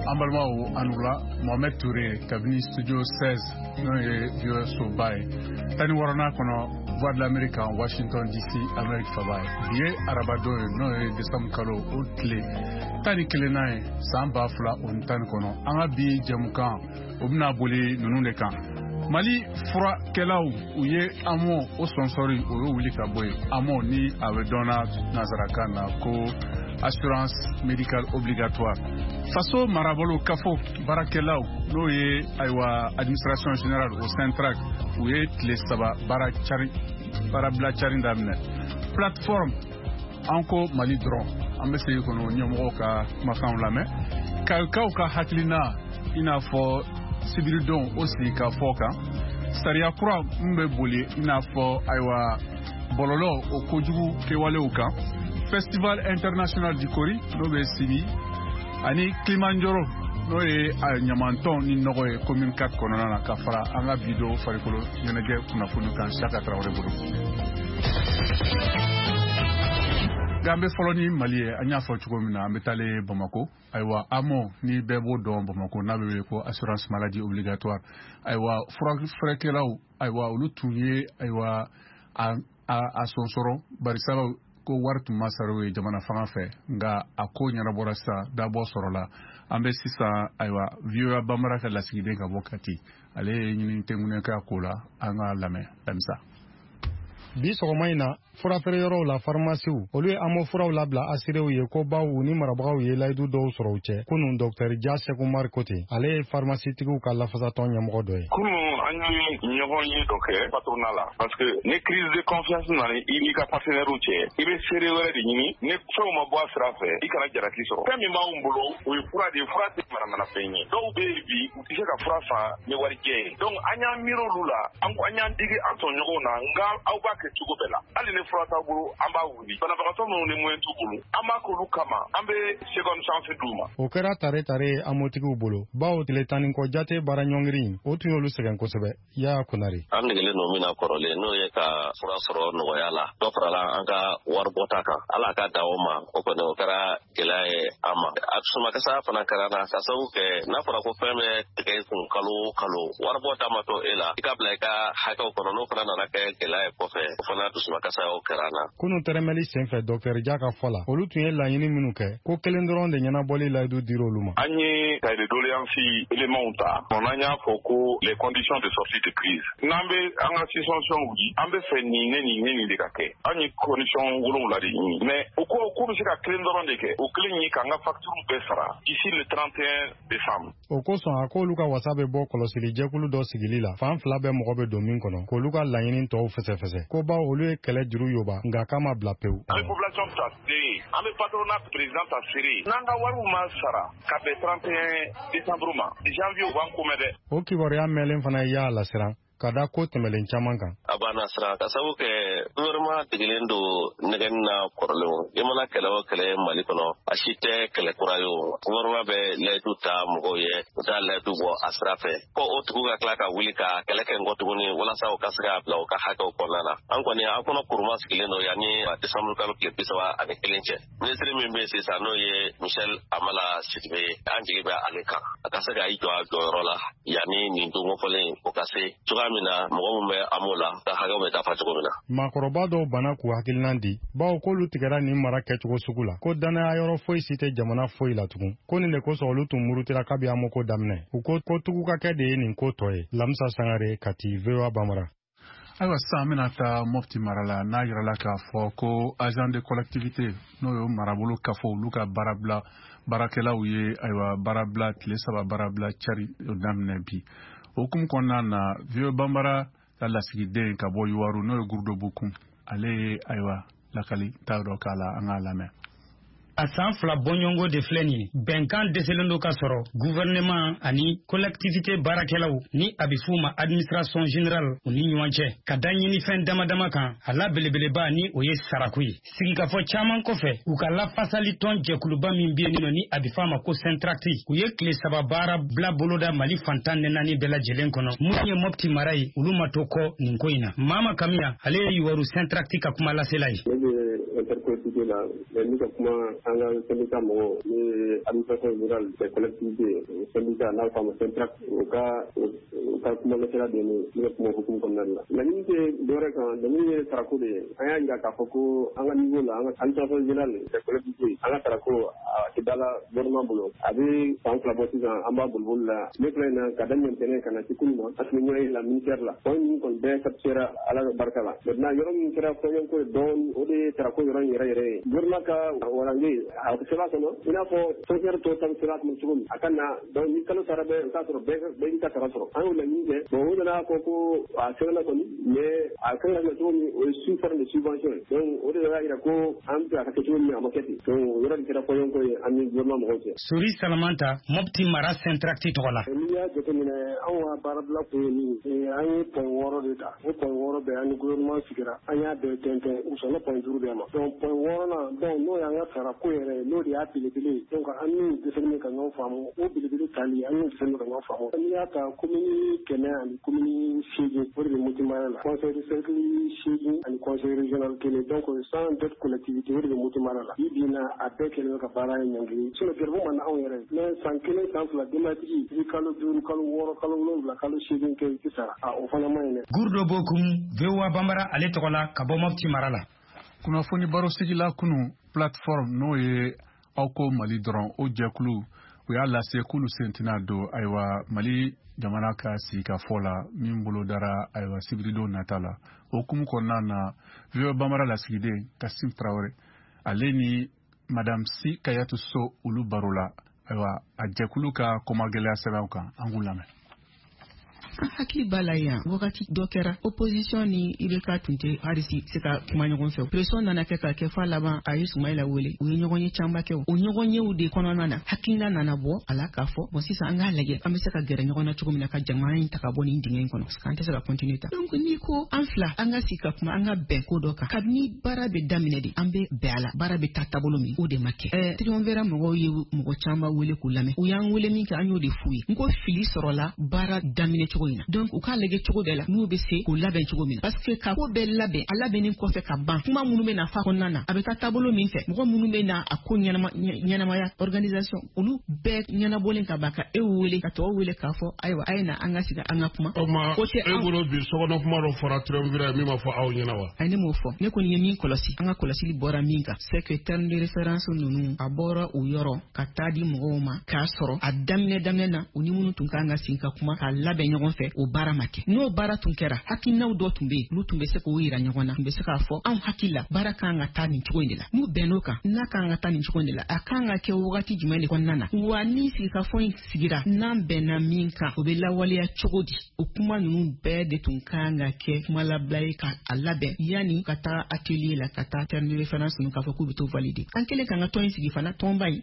An balimaw, a ni wula. Mohamed Touré kabini studio 16, n'o ye VOA soba ye, 16nan kɔnɔ, Voix de l'Amérique en Washington DC, Amérique faba ye. Bi ye arabadon ye, n'o ye décembre kalo o tile 11nan ye, san 2019. An ka bi jɛmukan, o bɛna boli ninnu de kan: Mali furakɛlaw, u ye AMO o sɔnsɔri, o y'o wuli ka bɔ yen. AMO ni a bɛ dɔnna nansarakan na ko assurance médicale obligatoire. Faso marabolo kafo baarakɛlaw, n'o ye ayiwa administration générale o SYNTRAC, u ye tile 3 baara cari, baarabila cari daminɛ. Plateforme An ko Mali dɔrɔn, an bɛ segin kɔnɔ ɲɛmɔgɔw ka kumakanw lamɛn, kayikaw ka hakilina, i n'a fɔ sibiridon o sigi ka fɔ kan, sariya kura min bɛ boli, i n'a fɔ ayiwa bɔlɔlɔ o kojugu kɛwalew kan, Festival international du Kori n'o bɛ sigi, ani Kilimanjaro, n'o ye ɲamantɔn ni nɔgɔ ye commune 4 kɔnɔna na, ka fara an ka bi don farikolo ɲɛnajɛ kunnafoni kan Saka Tarawele bolo. Nka an bɛ fɔlɔ ni Mali ye. An y'a fɔ cogo min na, an bɛ taalen Bamako. Ayiwa, AMO ni bɛɛ b'o dɔn Bamako, n'a bɛ wele ko assurance maladie obligatoire. Ayiwa, furakɛlaw, ayiwa, olu tun ye ayiwa a sɔnsɔrɔ, barisabu ko wari tun ma sara u ye jamana fanga fɛ. Nka a ko ɲɛnabɔra sisan, dabɔ sɔrɔla. An bɛ sisan ayiwa VOA Bambara ka lasigiden ka bɔ Kati, ale ye ɲini tɛnkunnen kɛ a ko la. An ka lamɛn Lamisa. Bi sɔgɔma in na, furafeere yɔrɔw la, farimasiw, olu ye AMO furaw labila asirew ye, ko baw u ni marabagaw ye layidu dɔw sɔrɔ u cɛ kunun. Dɔktɛri Ja Sekumari ko ten, ale ye farimasitigiw ka lafasatɔn ɲɛmɔgɔ dɔ ye. Kunun, an ye ɲɔgɔn ye dɔ kɛ patronat la, parce que ni crise de confiance nana i n'i ka partenaire cɛ, i bɛ seere wɛrɛ de ɲini. Ni fɛnw ma bɔ a sira fɛ, i kana jalaki sɔrɔ. Fɛn min b'anw bolo, o ye fura de ye. Fura tɛ manamanafɛn ye. Dɔw bɛ yen bi, u tɛ se ka fura san ni warijɛ ye. Donc an y'an miiri olu la, an ko an y'an digi an tɔɲɔgɔnw na, nka aw b'a kɛ cogo bɛɛ la. Hali ni fura t'aw bolo, an b'a wuli. Banabagatɔ minnu ni moyen t'u bolo, an b'a k'olu kama, an bɛ seconde chance d'u ma. O kɛra tare tare ye amotigiw bolo, bawo tile 10 ni kɔ jate baara ɲɔngiri in, o tun y'olu sɛgɛn kosɛbɛ. Yaya Konare. An degelen don min na kɔrɔlen, n'o ye ka fura sɔrɔ nɔgɔya la, dɔ farala an ka waribɔta kan. Ala ka da o ma, o kɔni o kɛra gɛlɛya ye an ma. A sumakasa fana kɛra na, ka sababu kɛ n'a fɔra ko fɛn bɛ tigɛ i kun kalo o kalo, waribɔta ma to e la i ka bila i ka hakɛw kɔnɔ, n'o fana nana kɛ gɛlɛya ye kɔfɛ, o fana dusumakasa o kɛra na. Kunu tɛrɛmɛli senfɛ, dɔktɛri Ja ka fɔ la, olu tun ye laɲini minnu kɛ, ko kelen dɔrɔn de ɲɛnabɔli layidu dir'olu ma. An ye cahier de doléance éléments ta, n'an y'a fɔ ko les conditions de sortie de crise. N'an bɛ an ka suspension wuli, an bɛ fɛ nin ne nin ne nin de ka kɛ. An ye condition 7 de ɲini, mais u ko k'u bɛ se ka kelen dɔrɔn de kɛ. O kelen ye k'an ka facture bɛɛ sara d'ici le 31 décembre. O kosɔn, a k'olu ka wasa bɛ bɔ kɔlɔsili jɛkulu dɔ sigili la, fan fila bɛɛ mɔgɔ bɛ don min kɔnɔ, k'olu ka laɲini tɔw fɛsɛfɛsɛ, ko baw olu ye kɛlɛ juru yoba, nka k'a ma bila pewu. An bɛ population ta seere, an bɛ patronat président ta seere. N'an ka wariw ma sara ka bɛn 31 décembre ma, janvier u b'an komɛ dɛ. O kibaruya mɛnlen fana ye y'a lasiran ka da ko tɛmɛlen caman kan. A b'an nasiran, ka sababu kɛ gouvernement degelen don nɛgɛni na kɔrɔlenw. I mana kɛlɛ o kɛlɛ Mali kɔnɔ, a si tɛ kɛlɛ kura ye. O gouvernement bɛ layidu ta mɔgɔw ye, u t'a layidu bɔ a sira fɛ, ko o tigiw ka tila ka wuli ka kɛlɛ kɛ nkɔ tuguni walasa u ka se k'a bila u ka hakɛw kɔnɔna na. An kɔni, an kɔnɔ kuruma sigilen don yanni décembre kalo tile 31 cɛ. Minisiri min bɛ sisan, n'o ye Michel Hamala Sidibe ye, an jigi bɛ ale kan, a ka se ka i jɔ a jɔyɔrɔ la yanni nin don kofɔlen o ka se, cogoya min na mɔgɔ min bɛ AMO la ka hakɛw bɛ dafa cogo min na. Maakɔrɔba dɔw banna k'u hakilinan di, bawo k'olu tigɛra nin mara kɛcogo sugu la, ko dannaya yɔrɔ foyi si tɛ jamana foyi la tugun, ko nin de kosɔn olu tun murutira kabi AMO ko daminɛ. U ko ko tugu ka kɛ de ye nin ko tɔ ye. Lamisa Sangare, Kati, VOA Bambara. Ayiwa, sisan an bɛna taa Mɔpti mara la, n'a yirala k'a fɔ ko agent de collectivité, n'o ye marabolo kafo, olu ka baarabila baarakɛlaw ye ayiwa baarabila, tile 3 baarabila cari daminɛ bi. O hukumu kɔnɔna na, VOA Bambara ka lasigiden ka bɔ Yuwaru, n'o ye Gurudo Bukun, ale ye ayiwa lakali ta dɔ k'a la. An k'a lamɛn. A san 2 bɔɲɔgɔnko de filɛ nin ye, bɛnkan dɛsɛlen don ka sɔrɔ gouvernement ani collectivité baarakɛlaw, ni a bɛ f'u ma administration générale, u ni ɲɔgɔn cɛ, ka da ɲinifɛn dama dama kan, a la belebeleba ni o ye sarako ye. Sigikafɔ caman kɔfɛ, u ka lafasali tɔn jɛkuluba min bɛ yen nɔ, ni a bɛ f'a ma ko SYNTRACT, u ye tile 3 baara bila boloda Mali fan 14 bɛɛ lajɛlen kɔnɔ. Mun ye Mɔpti mara ye, olu ma to kɔ nin ko in na. Mama Kamiya, ale ye Yuwaru SYNTRACT ka kuma lasela ye. Ne bɛ intercollectivité la, mais n bɛ ka kuma An ka syndicat mɔgɔw, n'o ye administration générale des collectivités, syndicat n'a fɔ a ma SYNTRAC, u ka kumalasela de ye ne bɛ kuma hukumu kɔnɔna de la. Laɲini tɛ dɔwɛrɛ kan, laɲini ye sarako de ye. An y'a jira k'a fɔ ko an ka niveau la, an ka administration générale des collectivités, an ka sarako a tɛ da la gouvernement bolo. A bɛ san 2 bɔ sisan, an b'a boliboli la. Ne filɛ in na ka daminɛ ntɛnɛn ka na se kunun ma, an tun bɛ ɲɔgɔn ye la ministère la. Fɛn ninnu kɔni bɛɛ satisfait Ala ka barika la. Maintenant yɔrɔ min kɛra fɔɲɔgɔnkɔ ye dɔɔnin, o de ye sarako yɔrɔ in yɛrɛ yɛrɛ ye. Gouvernement ka warange a sɛbɛn kɔnɔ, i n'a fɔ fonctionnaire tɔw ta bɛ sɛbɛn kɔnɔ cogo min, a ka na donc ni kalo sara bɛ, o k'a sɔrɔ bɛɛ y'i ka sara sɔrɔ. An y'o laɲini kɛ. Bon, u nana fɔ ko a sɛbɛnna kɔni, mais a kan ka kɛ cogo min, o ye sous forme de subvention ye. Donc o de y'a jira ko an bɛ fɛ a ka kɛ cogo min, a ma kɛ ten. Donc o yɔrɔ de kɛra fɔɲɔgɔnkɔ ye an ni gouvernement mɔgɔw cɛ. Sori Salamanta, Mopti mara SYNTRAC tɔgɔ la. N'i y'a jateminɛ, anw ka baarabila kun ye min ye, an ye point 6 de ta. O point 6 bɛɛ, an ni gouvernement sigira, an y'a bɛɛ tɛntɛn, u sɔnna point 5 bɛɛ ma. Donc point 6nan, donc n'o y'an ka sarako yɛrɛ ye, n'o de y'a belebele ye. Donc an n'u dɛsɛlen ka ɲɔgɔn faamu, o belebele tali, an n'u dɛsɛlen ka ɲɔgɔn faamu. N'i y'a ta, commune 100 ani commune 8, o de bɛ Mopti mara la. Conseil de cercle 8 ani conseil régional 1, donc 102 collectivités, o de bɛ Mopti mara la. Bi bi in na, a bɛɛ kɛlen bɛ ka baara in ɲɔngiri. Sinon gɛrɛbu man di anw yɛrɛ ye. Mais san 1, san 2, denbayatigi, i bɛ kalo 5, kalo 6, kalo 7, kalo 8 kɛ, i tɛ sara. A o fana man ɲi dɛ. Gurdo Bokum, VOA Bambara ale tɔgɔ la ka bɔ Mopti mara la. Kunnafoni barosigila kunu plateforme, n'o ye aw ko Mali dɔrɔn, o jɛkulu, u y'a lase k'olu sen tɛna don, ayiwa, Mali jamana ka sigikafɔ la min bolo dara, ayiwa, sibiridon nata la. O hukumu kɔnɔna na, VOA Bambara lasigiden Kasim Tarawele, ale ni Madame Si Kayatu So, olu baro la, ayiwa, a jɛkulu ka kɔmagɛlɛya sɛbɛnw kan. An k'u lamɛn. An hakili b'a la yan, wagati dɔ kɛra, opposition ni IBK tun tɛ hali si se ka kuma ɲɔgɔn fɛ. Pression nana kɛ ka kɛ f'a laban, a ye Sumayila wele, u ye ɲɔgɔn ye camanba kɛ. O ɲɔgɔn yew de kɔnɔna na, hakilina nana bɔ a la k'a fɔ: bon, sisan an k'a lajɛ an bɛ se ka gɛrɛ ɲɔgɔn na cogo min na ka jamana in ta ka bɔ nin dingɛ in kɔnɔ, parce que an tɛ se ka continuer ta. Donc n'i ko an fila an ka sigi ka kuma, an ka bɛn ko dɔ kan, kabini baara bɛ daminɛ de an bɛ bɛn a la, baara bɛ taa taabolo min, o de ma kɛ. Triumvirat mɔgɔw ye mɔgɔ caman wele k'u lamɛn. U y'an wele min kɛ, an y'o de f'u ye. N ko fili sɔrɔla baara daminɛ cogo in na, donc u k'a lajɛ cogo bɛɛ la n'u bɛ se k'o labɛn cogo min na, parce que ka ko bɛɛ labɛn, a labɛnnen kɔfɛ ka ban, kuma minnu bɛ na fa kɔnɔna na, a bɛ taa taabolo min fɛ, mɔgɔ minnu bɛ na a ko ɲɛnama ɲɛnamaya, organisation, olu bɛɛ ɲɛnabɔlen ka ban, ka e wele ka tɔw wele k'a fɔ: ayiwa, a ye na an ka sigi an ka kuma. O tuma, e bolo bi, sokɔnɔ kuma dɔ fɔra triumvirat min ma fɔ aw ɲɛna wa? Ayi, ne m'o fɔ. Ne kɔni ye min kɔlɔsi, an ka kɔlɔsili bɔra min kan, c'est que terme de référence ninnu, a bɔra u yɔrɔ ka taa di mɔgɔw ma k'a sɔrɔ a daminɛ daminɛ na, u ni minnu tun kan ka sigi ka kuma k'a labɛn ɲɔgɔn fɛ, o baara ma kɛ. N'o baara tun kɛra, hakilinaw dɔ tun bɛ yen, olu tun bɛ se k'o yira ɲɔgɔn na, tun bɛ se k'a fɔ: anw hakili la, baara kan ka taa nin cogo in de la. N'u bɛnn'o kan, n'a kan ka taa nin cogo in de la, a kan ka kɛ wagati jumɛn de kɔnɔna na wa, ni sigikafɔ in sigira, n'an bɛnna min kan, o bɛ lawaleya cogo di? O kuma ninnu bɛɛ de tun kan ka kɛ kuma labila ye ka a labɛn yanni ka taa atelier la, ka taa terme de référence ninnu k'a fɔ k'u bɛ to valider. An kɛlen k'an ka tɔn in sigi fana, tɔnba in,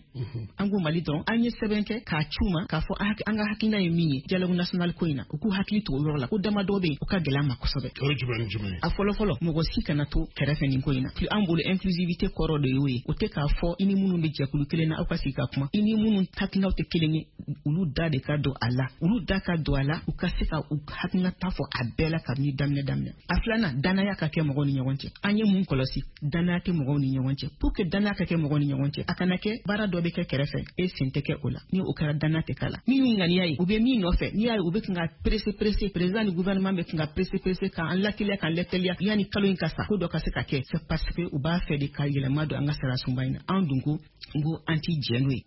an ko Mali dɔrɔn, an ye sɛbɛn kɛ k'a ci u ma k'a fɔ an ka hakilina ye min ye dialogue national ko in na, u k'u hakili to o yɔrɔ la, ko damadɔ bɛ yen, o ka gɛlɛn an ma kosɛbɛ. O ye jumɛn ni jumɛn ye? A fɔlɔ fɔlɔ, mɔgɔ si kana to kɛrɛfɛ nin ko in na. An bolo, inclusivité kɔrɔ de y'o ye. O tɛ k'a fɔ i ni minnu bɛ jɛkulu kelen na, aw ka sigi ka kuma. I ni minnu hakilinaw tɛ kelen ye, olu da de ka don a la, olu da ka don a la, u ka se ka u hakilinata fɔ a bɛɛ la kabini daminɛ daminɛ. A filanan, danaya ka kɛ mɔgɔw ni ɲɔgɔn cɛ. An ye mun kɔlɔsi? Danaya tɛ mɔgɔw ni ɲɔgɔn cɛ. Pour que danaya ka kɛ mɔgɔw ni ɲɔgɔn cɛ, a kana kɛ baara dɔ bɛ kɛ kɛrɛfɛ, e sen tɛ kɛ o la. Ni o kɛra, danaya tɛ k'a la. Min y'u ŋaniya ye, u bɛ min nɔfɛ, n'i y'a ye u bɛ kan ka presse presse, président ni gouvernement bɛ kan ka presse presse k'an lateliya, k'an lateliya yanni kalo in ka sa, ko dɔ ka se ka kɛ, c'est parce que u b'a fɛ de ka yɛlɛma don an ka sariya sunba in na. An dun ko n ko an t'i jɛ n'o ye.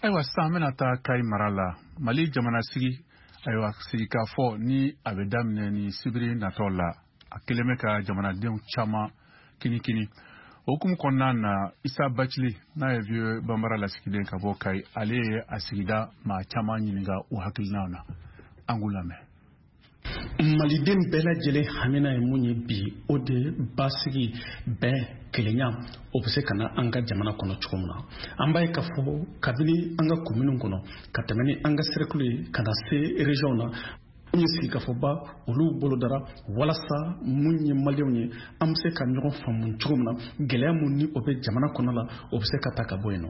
Ayiwa, sisan an bɛna taa Kayi mara la. Mali jamana sigi, ayiwa, sigikafɔ ni a bɛ daminɛ ni sibiri natɔ la, a kelen bɛ ka jamanadenw caman kinikini. O hukumu kɔnɔna na, Isa Bacili, n'a ye VOA Bambara lasigiden ka bɔ Kayi, ale ye a sigida maa caman ɲininka u hakilinaw na. An k'u lamɛn. Maliden bɛɛ lajɛlen hamina ye mun ye bi? O de basigi, bɛn, kelenya, o bɛ se ka na an ka jamana kɔnɔ cogo min na. An b'a ye k'a fɔ kabini an ka kominiw kɔnɔ, ka tɛmɛ ni an ka cercle ye, ka na se région na, mun ye sigikafɔba olu bolodara walasa mun ye maliyɛnw ye, an bɛ se ka ɲɔgɔn faamu cogo min na, gɛlɛya mun ni o bɛ jamana kɔnɔ la, o bɛ se ka ta ka bɔ yen nɔ.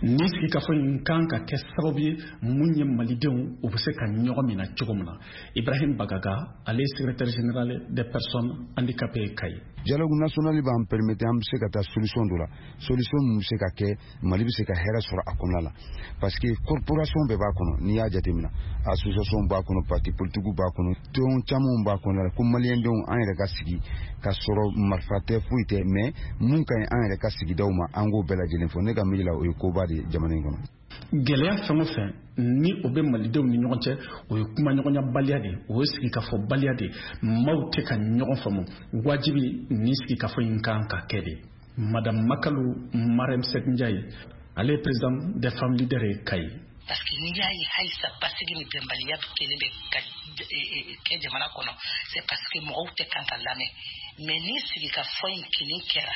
Ni sigikafɔ in kan ka kɛ sababu ye mun ye malidenw, u bɛ se ka ɲɔgɔn minɛ cogo min na. Ibrahim Bagaga, ale ye secrétaire général des personnes handicapées Kayi. Dialogue national b'an permettre an bɛ se ka taa solution dɔ la, solution min bɛ se ka kɛ Mali bɛ se ka hɛrɛ sɔrɔ a kɔnɔna la, parce que corporation bɛɛ b'a kɔnɔ. N'i y'a jateminɛ, association b'a kɔnɔ, parti politique b'a kɔnɔ, tɔn camanw b'a kɔnɔ la, ko maliyɛndenw an yɛrɛ ka sigi ka sɔrɔ marifa tɛ, foyi tɛ, mais mun ka ɲi an yɛrɛ ka sigidaw ma, an k'o bɛɛ lajɛlen fɔ. Ne ka miiri la, o ye koba de ye jamana in kɔnɔ. Gɛlɛya fɛn o fɛn ni o bɛ malidenw ni ɲɔgɔn cɛ, o ye kumaɲɔgɔnyabaliya de ye, o ye sigikafɔbaliya de ye. Maaw tɛ ka ɲɔgɔn faamu, wajibi ni sigikafɔ in kan ka kɛ de. Madame Makalu Marème Seck Ndiaye, ale ye président des femmes leaders ye Kayi. Parce que n'i y'a ye halisa basigi ni bɛnbaliya kelen bɛ ka kɛ jamana kɔnɔ, c'est parce que mɔgɔw tɛ kan ka lamɛn. Mais ni sigikafɔ in kelen kɛra,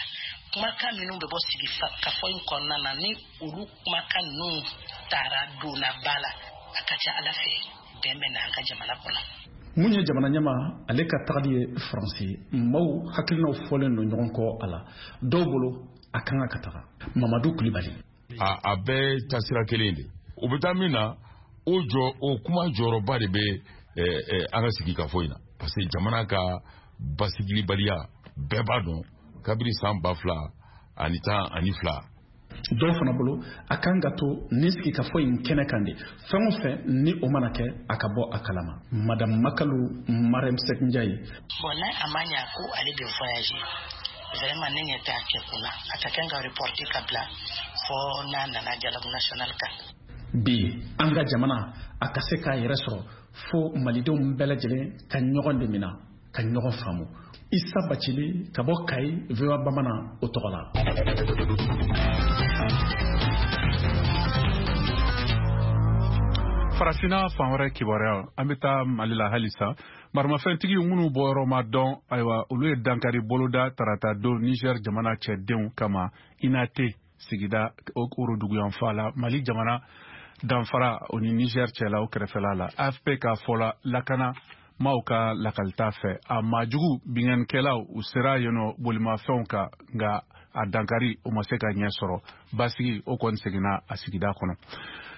kumakan minnu bɛ bɔ sigikafɔ in kɔnɔna na, ni olu kumakan ninnu taara donna ba la, a ka ca Ala fɛ bɛn bɛ na an ka jamana kɔnɔ. Mun ye jamana ɲɛma ale ka tagali ye Faransi, maaw hakilinaw fɔlen don ɲɔgɔn kɔ a la. Dɔw bolo a kan ka taga. Mamadu Kulibali. A bɛɛ taasira kelen de. U bɛ taa min na, o jɔ o kuma jɔyɔrɔba de bɛ an ka sigikafɔ in na, parce que jamana ka basigilibaliya bɛɛ b'a dɔn kabini san 2012. Dɔw fana bolo a kan ka to nin sigikafɔ in kɛnɛ kan de, fɛn o fɛn ni o mana kɛ a ka bɔ a kalama. Madame Makalu Marème Seck Ndiaye. Bon, n'a a ma ɲa ko ale bɛ voyager, vraiment ne ɲɛ t'a kɛ kun na, a ka kan ka reporter ka bila fɔ n'a nana dialogue national kan. Bi an ka jamana a ka se k'a yɛrɛ sɔrɔ fo malidenw bɛɛ lajɛlen ka ɲɔgɔn de minɛ, ka ɲɔgɔn faamu. Issa Bacili ka bɔ Kayi, VOA Bamanan o tɔgɔ la. Farafinna fan wɛrɛ kibaruya, an bɛ taa Mali la halisa. Maramafɛntigi minnu bɔyɔrɔ ma dɔn, ayiwa, olu ye dankari boloda tarata don Niger jamana cɛdenw kama Inate sigida woroduguyanfan la, Mali jamana danfara o ni Niger cɛla o kɛrɛfɛla la. AFP ka fɔ la, lakana maaw ka lakalita fɛ, a maajugu binkannikɛlaw u sera yen nɔ bolimafɛnw kan, nka a dankari o ma se ka ɲɛ sɔrɔ. Basigi o kɔni seginna a sigida kɔnɔ.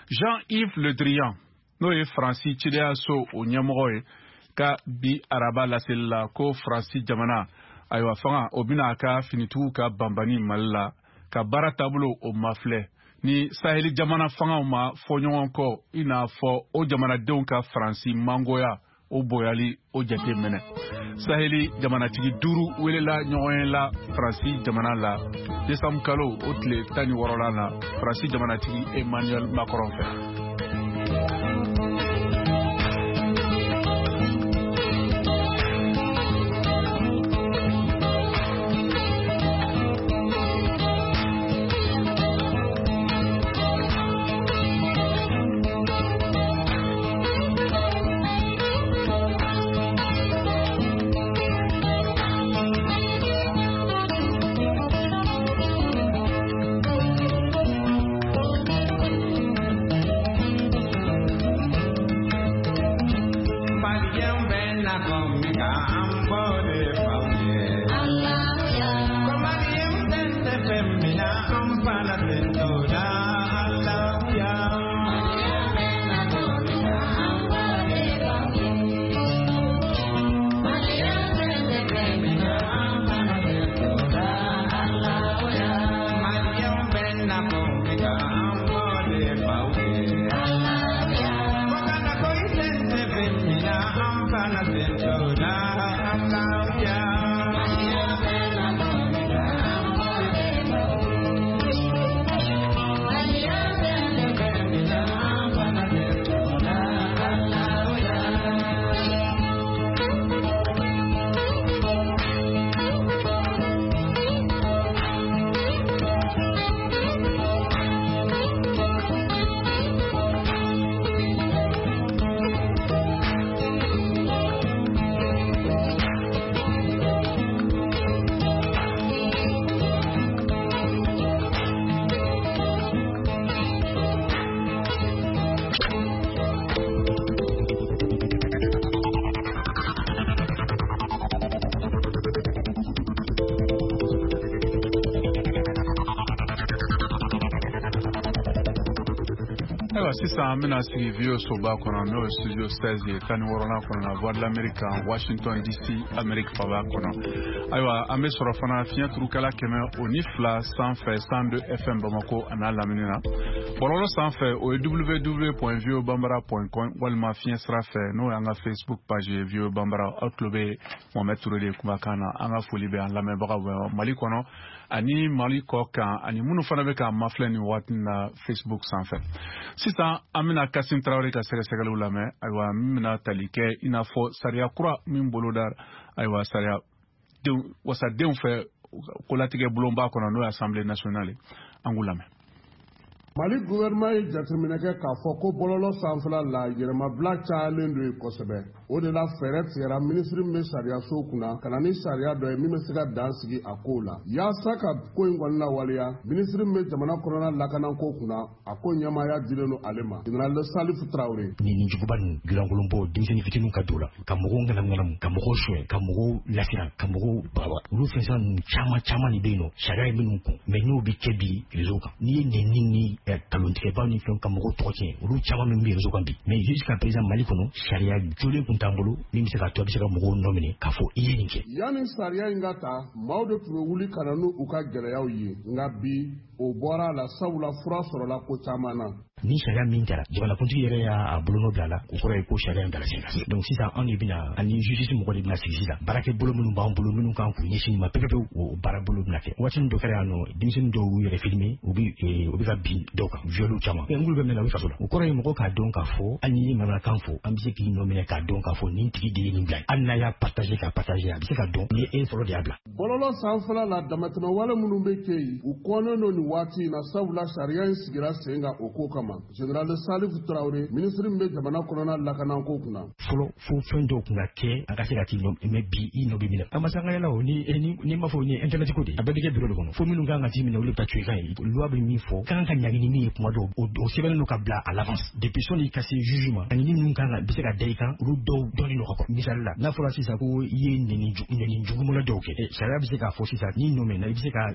Jean-Yves Le Drian, n'o ye Faransi cidenyaso o ɲɛmɔgɔ ye, ka bi araba laseli la ko Faransi jamana, ayiwa, fanga o bɛna a ka finitigiw ka banbani Mali la ka baara taabolo o mafilɛ ni saheli jamana fangaw ma fɔ ɲɔgɔn kɔ, i n'a fɔ o jamanadenw ka Faransi mangoya o boyali o jate minɛ. Saheli jamanatigi 5 welela ɲɔgɔn ye la Faransi jamana la desanburu kalo o tile 16 la, Faransi jamanatigi Emmanuel Macron fɛ. Ayiwa, sisan an bɛna sigi VOA soba kɔnɔ, n'o ye studio 16 ye, 16nan kɔnɔ na, Voix de l'Amérique kan, Washington DC, Amérique faba kɔnɔ. Ayiwa, an bɛ sɔrɔ fana fiɲɛ turukɛla 102 sanfɛ, 102 FM Bamako a n'a lamini na. Bɔlɔlɔ sanfɛ, o ye www.voabambara.com, walima fiɲɛ sira fɛ, n'o y'an ka Facebook page ye, VOA Bambara. Aw tulo bɛ Mohamed Touré de kumakan na. An ka foli bɛ an lamɛnbagaw bɛɛ Mali kɔnɔ ani Mali kɔ kan, ani minnu fana bɛ k'an mafilɛ nin waati na Facebook sanfɛ. Sisan an bɛna Kasim Tarawele ka sɛgɛsɛgɛliw lamɛn. Ayiwa, min bɛna tali kɛ i n'a fɔ sariya kura min boloda, ayiwa, sariya wasadenw fɛ kolatigɛ bulonba kɔnɔ, n'o ye Assemblée nationale ye. An k'u lamɛn. Mali gouvernement ye jateminɛ kɛ k'a fɔ ko bɔlɔlɔ sanfɛla la, yɛrɛmabila cayalen don yen kosɛbɛ. O de la, fɛɛrɛ tigɛra minisiri min bɛ sariyaso kunna ka na ni sariya dɔ ye min bɛ se ka dan sigi a kow la. Yaasa ka ko in kɔni lawaleya, minisiri min bɛ jamana kɔnɔna lakanako kunna, a ko ɲɛmaaya dilen don ale ma, général Salifu Tarawele. Ni nin juguba ninnu gilankolon bɔ, denmisɛnnin fitininw ka don la ka mɔgɔw ŋanamu, ka mɔgɔw suɲɛ, ka mɔgɔw lasiran, ka mɔgɔw baba, olu fɛn ninnu caman caman de bɛ yen nɔ, sariya ye minnu kɔn. Mais n'o bɛ kɛ bi réseau kan, n'i ye nɛni ni nkalontigɛbaw ni fɛnw ka mɔgɔw tɔgɔ tiɲɛ, olu caman min bɛ réseau kan bi. Mais jusqu'à présent, Mali kɔnɔ, sariya jolen tun t'an bolo min bɛ se k'a to a bɛ se ka mɔgɔw nɔ minɛ k'a fɔ i ye nin kɛ. Yanni sariya in ka ta, maaw de tun bɛ wuli ka na n'u ka gɛlɛyaw ye, nka bi o bɔra a la, sabula fura sɔrɔla ko caman na. Ni sariya min taara, jamanakuntigi yɛrɛ y'a bolonɔ bila a la, o kɔrɔ ye ko sariya in dala sen kan. Donc sisan anw de bɛna, ani justice mɔgɔ de bɛna sigi sisan, baarakɛ bolo minnu b'an bolo, minnu kan k'u ɲɛsin nin ma pewu-pewu, o baara bolo bɛna kɛ. Waati min dɔ kɛra yan nɔ, denmisɛnnin dɔw y'u yɛrɛ filmer, u bɛ ka bin dɔw kan, viol caman, mais n'olu bɛ minɛ, u bɛ kaso la. O kɔrɔ ye mɔgɔ k'a dɔn k'a fɔ hali n'i ye manamanakan fɔ, an bɛ se k'i nɔ minɛ k'a dɔn k'a fɔ nin tigi de ye nin bila. Hali n'a y'a partager k'a partager, a bɛ se ka dɔn ni e fɔlɔ de y'a bila. Bɔlɔlɔ sanfɛla la, damatɛmɛ wale minnu bɛ kɛ yen, u kɔnnen don nin waati in na, sabula sariya in sigira sen kan o ko kama. Général Salifu Tarawele, minisiri min bɛ jamana kɔnɔna lakanako kunna. Fɔlɔ, fo fɛn dɔw tun ka kɛ a ka se ka t'i nɔ, mais bi i nɔ bɛ minɛ. An ma se an ka yala o ni ni m'a fɔ ni internet ko de, a bɛɛ bɛ kɛ bureau de kɔnɔ. Fo minnu kan ka t'i minɛ, olu bɛ taa tu i kan ye. Loi bɛ min fɔ, kan ka ɲangi ni min ye, kuma dɔw o sɛbɛnnen don ka bila à l'avance depuis sɔnni ka se juge ma. Ɲangini minnu kan ka bɛ se ka da i kan, olu dɔw dɔnnen don ka kɔrɔ. Misali la, n'a fɔra sisan ko i ye nɛni jugumɔlɔ dɔw kɛ, sariya bɛ se k'a fɔ sisan n'i nɔ minɛ, i bɛ se ka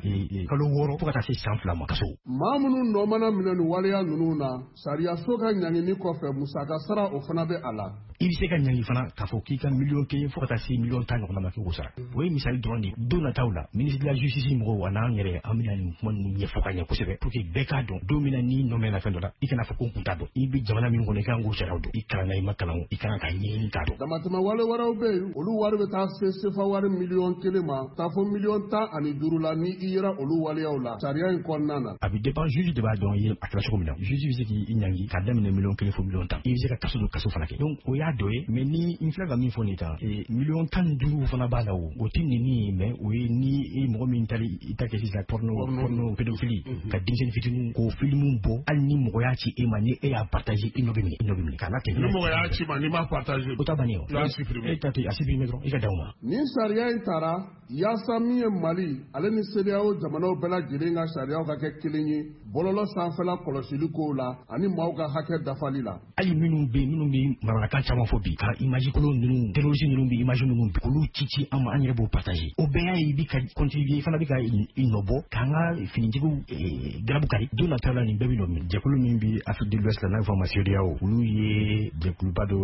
kalo 6 fo ka taa se san 2 ma kaso. Maa minnu nɔ mana minɛ nin waleya ninnu na, sariyaso ka ɲangini kɔfɛ, musaka sara o fana bɛ a la. I bɛ se ka ɲangi fana k'a fɔ k'i ka miliyɔn 1 fo ka taa se miliyɔn 10 ɲɔgɔnna ma k'i k'o sara. O ye misali dɔrɔn de ye. Don nataw la, ministre de la justice mɔgɔw a n'an yɛrɛ, an bɛna nin kuma ninnu ɲɛfɔ ka ɲɛ kosɛbɛ pour que bɛɛ k'a dɔn. Don min na n'i nɔ mɛnna fɛn dɔ la, i kana fɔ ko n kun t'a dɔn. I bɛ jamana min kɔnɔ, i kan k'o sariyaw dɔn. I kalanna, i ma kalan, i kan ka ɲɛɲini k'a dɔn. Damatɛmɛ wale wɛrɛw bɛ yen, olu wari bɛ taa se sefa wari miliyɔn 1 ma, taa fɔ miliyɔn 15 la ni i yera olu waleyaw la sariya in kɔnɔna na. A bɛ dépend, juge de b'a dɔn i ye a kɛra cogo min na. Juge bɛ se k'i ɲangi k'a daminɛ miliyɔn 1 fo miliyɔn 10. I bɛ se ka kaso don, kaso fana kɛ. Donc o y'a dɔ ye. Mais ni n filɛ ka min fɔ nin kan, miliyɔn 15 fana b'a la, o tɛ nɛni ye, mais o ye ni mɔgɔ min taara i ta kɛ sisan porno pédophilie, ka denmisɛnnin fitininw k'o filimu bɔ, hali ni mɔgɔ y'a ci e ma, ni e y'a partager, i nɔ bɛ minɛ, i nɔ bɛ minɛ k'a latɛmɛ. Ni mɔgɔ y'a ci ma, n'i m'a partager, o ta bannen o. E ta tɛ a supprimer dɔrɔn, i ka dan o ma. Nin sariya in taara yaasa min ye Mali ale ni CEDEAO jamanaw bɛɛ lajɛlen ka sariyaw ka kɛ kelen ye bɔlɔlɔ sanfɛla kɔlɔsili kow la ani maaw ka hakɛ dafali la. Hali minnu bɛ minnu bɛ manamanakan caman fɔ bi, ka image kolon ninnu, terroriste ninnu bɛ image minnu bi, k'olu ci ci an ma, an yɛrɛ b'o partager. O bɛɛ y'a ye i bɛ ka contribuer, i fana bɛ ka i nɔ bɔ k'an ka finitigiw garabu kari. Don nataw la, nin bɛɛ bɛ nɔ minɛ. Jɛkulu min bɛ Afrique de l'Ouest la, n'a bɛ fɔ a ma CEDEAO, olu ye jɛkuluba dɔ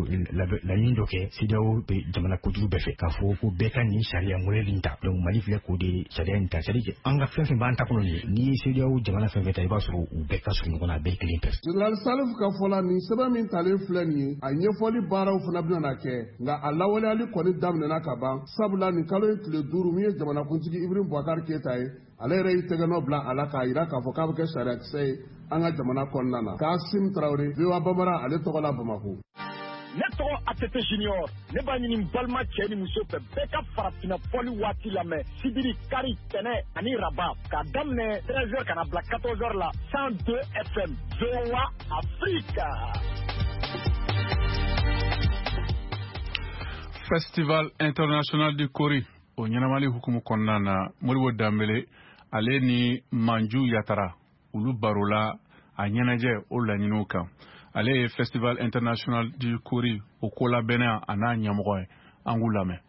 laɲini dɔ kɛ CEDEAO bɛ jamana kojugu bɛɛ fɛ k'a fɔ ko bɛɛ ka nin sariya modèle in ta. Donc Mali filɛ k'o de sariya in ta, c'est à dire an ka fɛn fɛn b'an ta kɔnɔ nin ye, n'i ye CEDEAO jamana fɛn fɛn ta, i b'a sɔrɔ u bɛɛ ka surun ɲɔgɔn na, a bɛɛ ye kelen pɛrɛ. Général Salifu ka fɔ la, nin sɛbɛn min talen filɛ nin ye, a ɲɛfɔli baaraw fana bɛna na kɛ, nka a lawaleyali kɔni daminɛna ka ban, sabula nin kalo in tile 5, min ye jamanakuntigi Ibrahim Boubacar Keita ye, ale yɛrɛ y'i tɛgɛnɔ bila a la k'a jira k'a fɔ k'a bɛ kɛ sariyakisɛ ye an ka jamana kɔnɔna na. Kasim Tarawele, VOA Bambara, ale tɔgɔ la Bamakɔ. Ne tɔgɔ ATT Junior, ne b'a ɲini n balima cɛ ni muso fɛ, bɛɛ ka farafinna fɔli waati lamɛn sibiri, kari, tɛnɛ ani raba, k'a daminɛ 13h ka na bila 14h la, 102 FM, VOA Afrique. Festival international du Kori o ɲɛnamali hukumu kɔnɔna na, Modibo Danbele ale ni Manju Yatara, olu barola a ɲɛnajɛ o laɲiniw kan. Ale ye Festival international du Kori o kolabɛnna a n'a ɲɛmɔgɔ ye. An k'u lamɛn.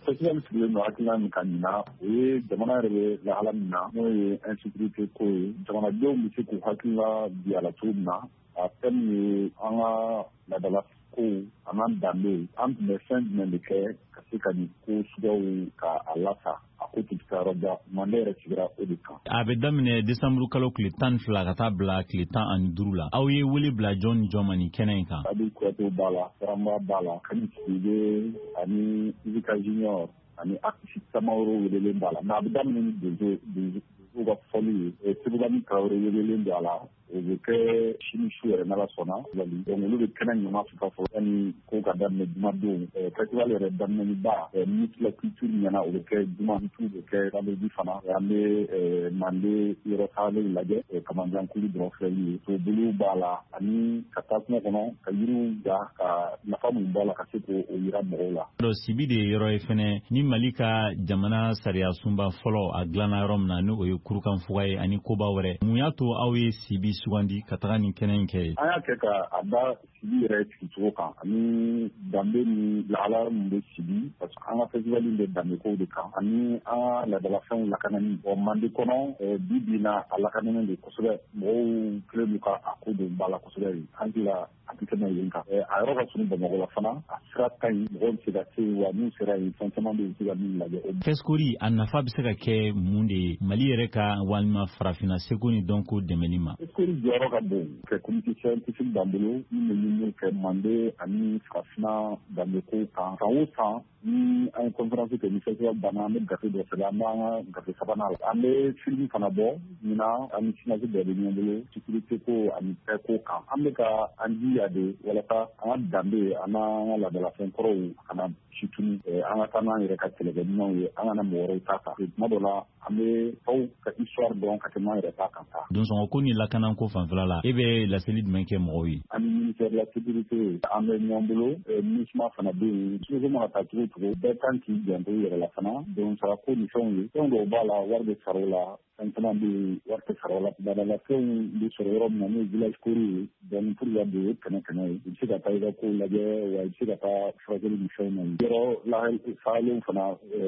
Festival sigilen don hakilina min kan ɲinan, o ye jamana yɛrɛ bɛ lahala min na, n'o ye insécurité ko ye, jamanadenw bɛ se k'u hakilina bi a la cogo min na. A thème ye an ka laadala kow an'an danbe, an tun bɛ fɛn jumɛn de kɛ ka se ka nin ko suguyaw ka a lasa, a ko tun tɛ taa yɔrɔ jan. Mande yɛrɛ sigira o de kan. A bɛ daminɛ desanburu kalo tile 12 ka taa bila tile 15 la. Aw ye wele bila jɔn ni jɔn ma nin kɛnɛ in kan? Abi Kuyate b'a la, Saramba b'a la, Kani Sidibe ani Ibika Junior ani artiste caman wɛrɛw welelen b'a la. Mais a bɛ daminɛ ni donsow ka fɔli ye. Sebugani Tarawele welelen don a la. O bɛ kɛ sini su yɛrɛ n'Ala sɔnna. Donc olu bɛ kɛnɛ ɲama fika fɔlɔ yanni ko ka daminɛ jumadon. Festival yɛrɛ daminɛni ba, ministre de la culture ɲɛna, o bɛ kɛ juma, bɛ kɛ vendredi fana. An bɛ Mande yɔrɔ tagalen lajɛ, Kamanjankulu dɔrɔn filɛli ye. Toboliw b'a la ani ka taa kungo kɔnɔ ka yiriw ja, ka nafa mun b'a la ka se k'o yira mɔgɔw la. Sibi de ye yɔrɔ ye fɛnɛ ni Mali ka jamana sariya sunba fɔlɔ a dilanna yɔrɔ min na, n'o ye Kurukanfuga ye ani koba wɛrɛ. Mun y'a to aw ye Sibi sugandi ka taga nin kɛnɛ in kɛ ye? An y'a kɛ ka a da Sibi yɛrɛ sigicogo kan ani danbe ni lahala min bɛ Sibi, parce que an ka festival in bɛ danbekow de kan ani an ka laadalafɛnw lakanani. Bon, Mande kɔnɔ bi bi in na, a lakananen don kosɛbɛ, mɔgɔw kɛlen don ka a ko don ba la kosɛbɛ. An hakili a tɛ tɛmɛ yen kan. A yɔrɔ ka surun Bamakɔ la fana, a sira ka ɲi, mɔgɔw bɛ se ka se yen, wa n'u sera yen, fɛn caman bɛ yen, u bɛ se ka min lajɛ. Fɛsikori a nafa bɛ se ka kɛ mun de ye Mali yɛrɛ ka walima farafinna seko ni dɔnko dɛmɛni ma? Fɛsikori jɔyɔrɔ ka bon kɛ comité scientifique b'an bolo min bɛ ɲininiw kɛ Mande ani farafinna danbeko kan. San o san ni an ye conférence kɛ, ni festival banna, an bɛ gafe dɔ sɛbɛn, an b'an ka gafe sabanan la. An bɛ film fana bɔ ɲinan, an ni CNAS bɛɛ bɛ ɲɔgɔn bolo sécurité ko ani paix ko kan. An bɛ ka an jija de walasa an ka danbe an n'an ka laadalafɛn kɔrɔw kana si tunu, an ka taa n'an yɛrɛ ka kɛlɛkɛminɛnw ye, an kana mɔgɔ wɛrɛw ta ta. Tuma dɔ la an bɛ aw ka histoire dɔn ka tɛmɛ an yɛrɛ ta kan ta. Donsɔngɔ ko ni lakanako fanfɛla la, e bɛ laseli jumɛn kɛ mɔgɔw ye? An ni ministère de la sécurité an bɛ ɲɔgɔn bolo, MINUSMA fana bɛ yen. Sécurité mana taa cogo o cogo, bɛɛ kan k'i janto i yɛrɛ la fana. Donsara ko ni fɛnw ye, fɛn dɔw b'a la wari bɛ sara o la, fɛn caman bɛ yen wari tɛ sara o la. Laadalafɛnw bɛ sɔrɔ yɔrɔ min na, n'o ye village kori ye, donc pour ka don o ye 100 100 ye. I bɛ se ka taa i ka kow lajɛ, wa i bɛ se ka taa furakɛli ni fɛnw na yen. Yɔrɔ fagalen fana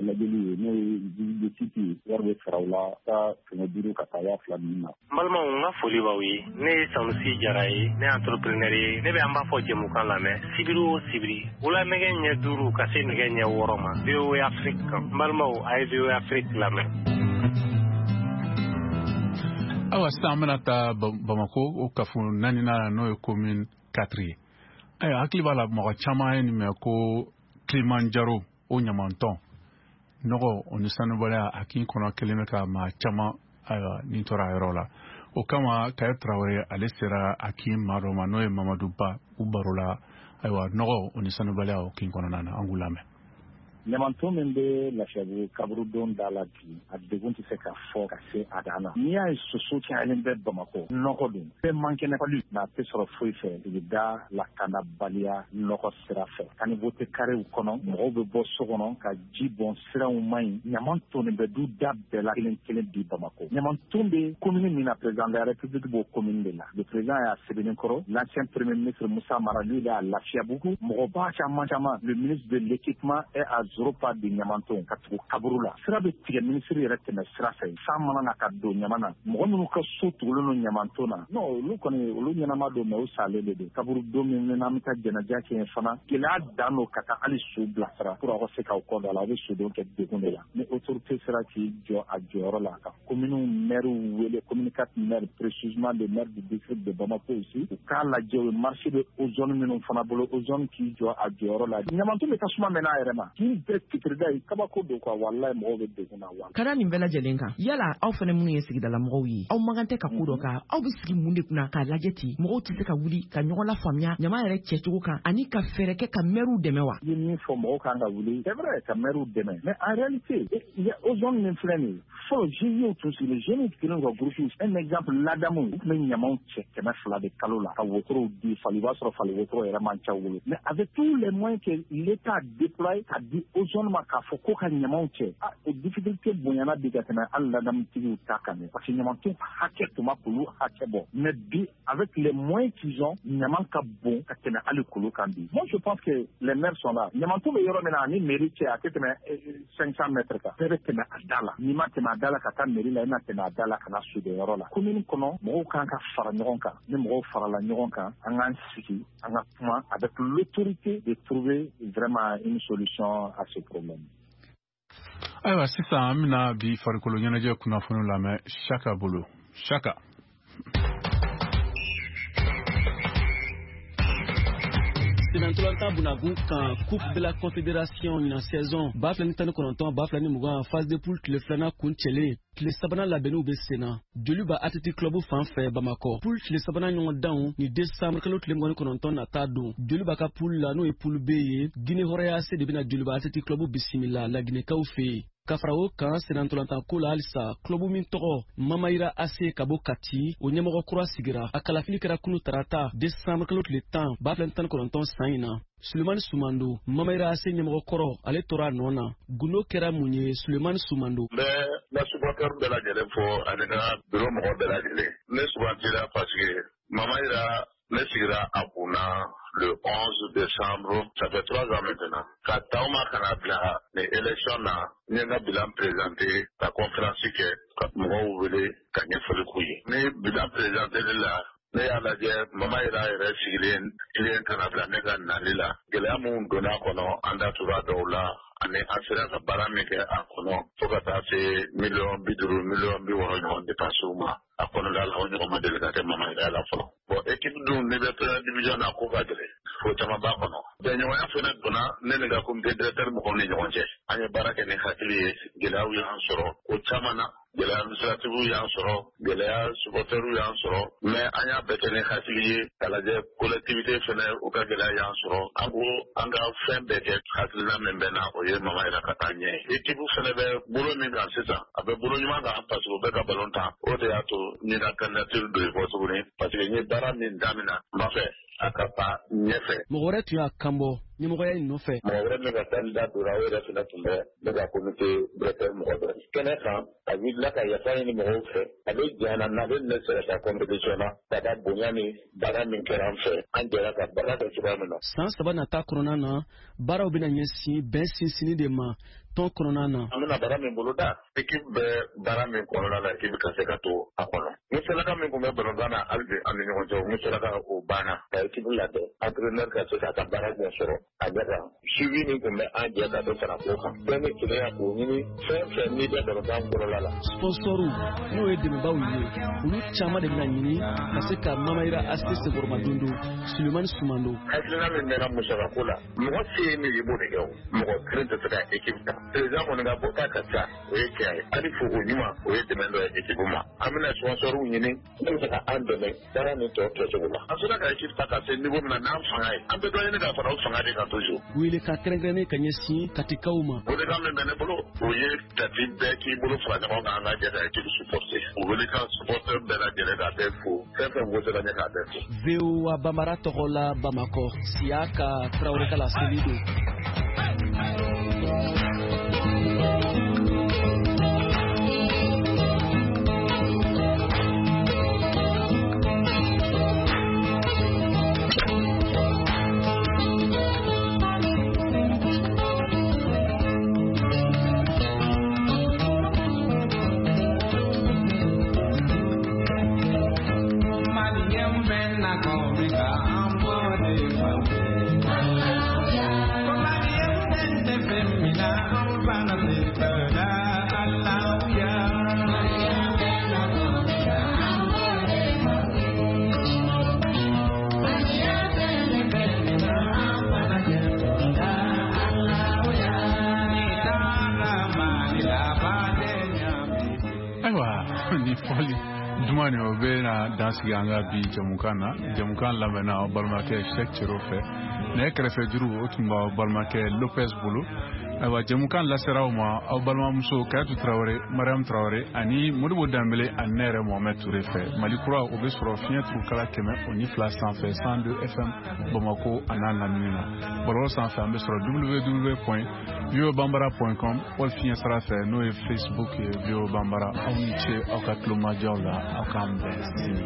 lajɛli ye, n'o ye visite de site ye, wari bɛ sara o la, taa 500 ka taa 2000 ninnu na. N balimaw, n ka foli b'aw ye. Ne ye Sanusi Jara ye, ne ye entrepreneur ye. Ne bɛ an b'a fɔ jɛmukan lamɛn sibiri o sibiri, wula nɛgɛ ɲɛ 5 ka se nɛgɛ ɲɛ 6 ma, VOA Afrique kan. N balimaw, a ye VOA Afrique lamɛn. Ayiwa, sisan an bɛna taa Bamako, o kafo naaninan, n'o ye commune 4 ye. Ayiwa, hakili b'a la, mɔgɔ caman ye nin mɛn ko Kilimanjaro o ɲamantɔn nɔgɔ o ni sanubɔla a kin kɔnɔ kelen bɛ ka maa caman, ayiwa, nin tora a yɔrɔ la. O kama Kaye Tarawele ale sera a kin maa dɔ ma, n'o ye Mamadu Ba, u baro la, ayiwa, nɔgɔ o ni sanubaliya o kin kɔnɔna na. An k'u lamɛn. Ɲamanton min bɛ Lafiyabugu kaburudon da la bi, a degun tɛ se ka fɔ ka se a dan na. N'i y'a ye soso cayalen bɛ Bamakɔ, nɔgɔ don bɛɛ man kɛnɛ palu, mais a tɛ sɔrɔ foyi fɛ sigida lakanabaliya nɔgɔ sira fɛ. Caniveau tɛ karew kɔnɔ, mɔgɔw bɛ bɔ so kɔnɔ ka ji bɔn, siraw man ɲi, ɲaman tonnen bɛ du da bɛɛ la kelen kelen bi Bamakɔ. Ɲamanton bɛ commune min na, président de la République b'o commune de la. Le président y'a Sébénikoro, l'ancien premier ministre Moussa Mara, lui, il est à Lafiabougou. Mɔgɔba caman caman, le ministre de l'équipement est à zéro pas de ɲamanton ka tugu kaburu la. Sira bɛ tigɛ, minisiri yɛrɛ tɛmɛ sira fɛ, san mana na ka don ɲama na. Mɔgɔ minnu ka so tugulen don ɲamanton na, non, olu kɔni olu ɲɛnama don, mais u salen de don. Kaburu don min n'an bɛ taa jɛnɛja kɛ yen fana, gɛlɛya dan don ka taa hali so bilasira pour aw ka se k'aw kɔ don a la, aw bɛ sodon kɛ degun de la. Ni autorité sera k'i jɔ a jɔyɔrɔ la ka commune maire wele, commune 4 maire précisément, le maire du district de Bamako aussi, u k'a lajɛ o marché bɛ ozone minnu fana bolo, ozone k'i jɔ a jɔyɔrɔ la. Ɲamanton bɛ tasuma mɛnɛ a yɛrɛ ma k'i bɛɛ fitirida ye, kabako don quoi, walayi, mɔgɔw bɛ degun na wa. Ka da nin bɛɛ lajɛlen kan, yala aw fana minnu ye sigidalamɔgɔw ye, aw man kan tɛ ka ko dɔ kan, aw bɛ sigi mun de kunna k'a lajɛ ten, mɔgɔw tɛ se ka wuli ka ɲɔgɔn lafaamuya ɲama yɛrɛ cɛcogo kan ani ka fɛɛrɛ kɛ ka mɛriw dɛmɛ wa? I ye min fɔ, mɔgɔw kan ka wuli, c'est vrai, ka mɛriw dɛmɛ, mais en réalité ozone min filɛ nin ye, fɔlɔ GIE tun sigilen, jeunes kelen ka groupe, un exemple, ladamu, u tun bɛ ɲamaw cɛ 200 de kalo la ka wotorow di fali, i b'a sɔrɔ fali wotoro yɛrɛ man ca u bolo, mais avec tous les moyens que l'État a déployé ka di ozone ma k'a fɔ ko ka ɲamaw cɛ, o difficulté bonyana bi ka tɛmɛ hali ladamutigiw ta kan dɛ, parce que ɲamanton hakɛ tun ma k'olu hakɛ bɔ. Mais bi, avec les moyens qu'ils ont, ɲaman ka bon ka tɛmɛ hali kolo kan bi. Moi, je pense que les maires sont là. Ɲamanton bɛ yɔrɔ min na, ani mairie cɛ, a tɛ tɛmɛ 500 mètres kan. Bɛɛ bɛ tɛmɛ a da la. N'i ma tɛmɛ a da la ka taa mairie la, i na tɛmɛ a da la ka na sodonyɔrɔ la. Commune kɔnɔ, mɔgɔw kan ka fara ɲɔgɔn kan. Ni mɔgɔw farala ɲɔgɔn kan, an k'an sigi, an ka kuma avec l'autorité de trouver vraiment une solution à ce problème. Ayiwa, sisan an bɛna bi farikolo ɲɛnajɛ kunnafoni lamɛn Saka bolo. Saka. Senatɔlɔntan bunagun kan, Coupe de la Confédération ɲinan saison 2019-2020, phase de poule tile filanan kuncɛlen, tile sabanan labɛnniw bɛ sen na Joliba Athletic Club fan fɛ Bamakɔ. Poule tile sabanan ɲɔgɔndanw ni décembre kalo tile 29 nata don. Joliba ka poule la, n'o ye poule B ye, Guinée Hɔrɔnya AC de bɛna Joliba Athletic Club bisimila Laginɛkaw fɛ yen. Ka fara o kan, senatɔlɔntanko la halisa, club min tɔgɔ Mamayira AC ka bɔ Kati, o ɲɛmɔgɔ kura sigira. A kalafili kɛra kunu tarata, décembre kalo tile 10, 2019 san in na. Sulemani Sumando, Mamayira AC ɲɛmɔgɔ kɔrɔ, ale tora a nɔ na. Gundo kɛra mun ye, Sulemani Sumando? N bɛ n ka supporter bɛɛ lajɛlen fo ani n ka bureau mɔgɔ bɛɛ lajɛlen. Ne sugandira parce que Mamayira, ne sigira a kunna le 11 décembre, ça fait 3 ans maintenant. Ka t'aw ma ka na bila ni élection na, n ye n ka bilan présenté, ka conférence kɛ, ka mɔgɔw wele ka ɲɛfɔli k'u ye. Ni bilan présenté la, ne y'a lajɛ Mamayira yɛrɛ sigilen tilen ka na bila ne ka nali la. Gɛlɛya mun donna a kɔnɔ, an da tora dɔw la, ani an sera ka baara min kɛ a kɔnɔ, fo ka taa se miliyɔn 50, miliyɔn 60 ɲɔgɔn dépense ma a kɔnɔla la. O ɲɔgɔn ma deli ka kɛ Mamayira la fɔlɔ. Bon, équipe dun, n'i bɛ première division na, ko ka gɛlɛn, ko caman b'a kɔnɔ. Bɛnɲɔgɔnya fana donna ne ni ka comité directeur mɔgɔw ni ɲɔgɔn cɛ. An ye baara kɛ ni hakili ye. Gɛlɛyaw y'an sɔrɔ ko caman na, gɛlɛya administratif y'an sɔrɔ, gɛlɛya supporteriw y'an sɔrɔ, mais an y'a bɛɛ kɛ ni hakili ye k'a lajɛ. Collectivité fɛnɛ, u ka gɛlɛya y'an sɔrɔ. An ko an ka fɛn bɛɛ kɛ. Hakilina min bɛ na, o ye Mamayira ka taa ɲɛ. Équipe fɛnɛ bɛ bolo min kan sisan, a bɛ bolo ɲuman kan, parce que u bɛ ka ballon tan. O de y'a to n ye n ka candidature don yen fɔ tuguni, parce que n ye baara min daminɛ, n b'a fɛ a ka taa ɲɛfɛ. Mɔgɔ wɛrɛ tun y'a kan bɔ ɲɛmɔgɔya in nɔfɛ. Mɔgɔ wɛrɛ min ka candidat donna, o yɛrɛ fɛnɛ tun bɛ ne ka comité directeur mɔgɔ dɔ kɛnɛ kan. A wulila ka yafa ɲini mɔgɔw fɛ. A bɛ jɛn na n'ale ne sera ka compétition na, ka da bonya ni baara min kɛra an fɛ, an jɛra ka baara kɛ cogoya min na. San 3 nata kɔnɔna na, baaraw bɛna ɲɛsin bɛn sinsinni de ma tɔn kɔnɔna na. An bɛna baara min boloda, équipe bɛ baara min kɔnɔna la, équipe ka se ka to a kɔnɔ. Ni saraka min tun bɛ balontan na hali bi an ni ɲɔgɔn cɛ, ni saraka o banna, ka équipe labɛn, entraîneur ka se k'a ka baara ɲɛ sɔrɔ a ɲɛ kan. Suivi min tun bɛ an jɛ ka dɔ fara o kan, bɛɛ ni kelenya k'o ɲini, fɛn fɛn n'i bɛ balontan kɔnɔna la. Sponsɔrw, n'o ye dɛmɛbaaw ye, olu caman de bɛna ɲini ka se ka Mamayira AC senkɔrɔma don. Sulemani Sumando. Hakilina min bɛ na musakako la, mɔgɔ se ye min ye, i b'o de kɛ. O mɔgɔ kelen tɛ se ka équipe ta. Président kɔni ka bɔta ka ca, o ye tiɲɛ ye. Hali foko ɲuman, o ye dɛmɛ dɔ ye équipe ma. An bɛna sponsorw ɲini min bɛ se ka an dɛmɛ baara nin tɔ kɛcogo la. An sera ka équipe ta ka se niveau min na n'an fanga ye, an bɛ dɔ ɲini ka fara o fanga de kan toujours. Welekan kɛrɛnkɛrɛnnen ka ɲɛsin Katikaw ma. Welekan min bɛ ne bolo, o ye Kati bɛɛ k'i bolo fara ɲɔgɔn kan, an ka jɛ ka équipe supporter. O welekan, supporter bɛɛ lajɛlen k'a bɛɛ fo, fɛn fɛn wosera ɲɛ, k'a bɛɛ fo. VOA Bambara tɔgɔ la, Bamakɔ, Siyaka Tarawele ka laseli don. Ayiwa, ni fɔli duman nin, o bɛ na dan sigi an ka bi jamukan na. Jamukan lamɛnna aw balimakɛ Sɛk Cero fɛ. Nɛgɛ kɛrɛfɛ juru, o tun b'aw balimakɛ Lopez bolo. Ayiwa, jɛmukan lasera aw ma aw balimamuso Kayatu Tarawele, Mariam Tarawele ani Modibo Danbele ani ne yɛrɛ Mohamɛd Ture fɛ. Mali Kura, o bɛ sɔrɔ fiɲɛ turukala 102 sanfɛ, 102 FM, Bamako a n'a lamini na. Bɔlɔlɔ sanfɛ, an bɛ sɔrɔ www.voabambara.com, wali fiɲɛ sira fɛ, n'o ye Facebook ye, VOA Bambara. Aw ni ce aw ka tulomajɔw la. Aw k'an bɛn sini.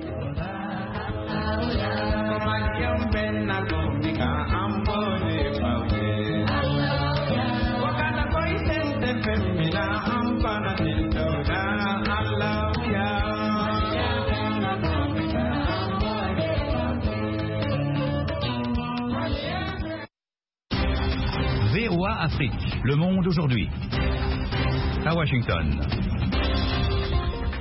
VOA Afrique, le monde aujourd'hui. À Washington.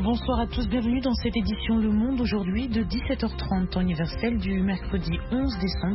Bonsoir à tous, bienvenue dans cette édition Le Monde aujourd'hui de 17h30, temps universel du mercredi 11 décembre.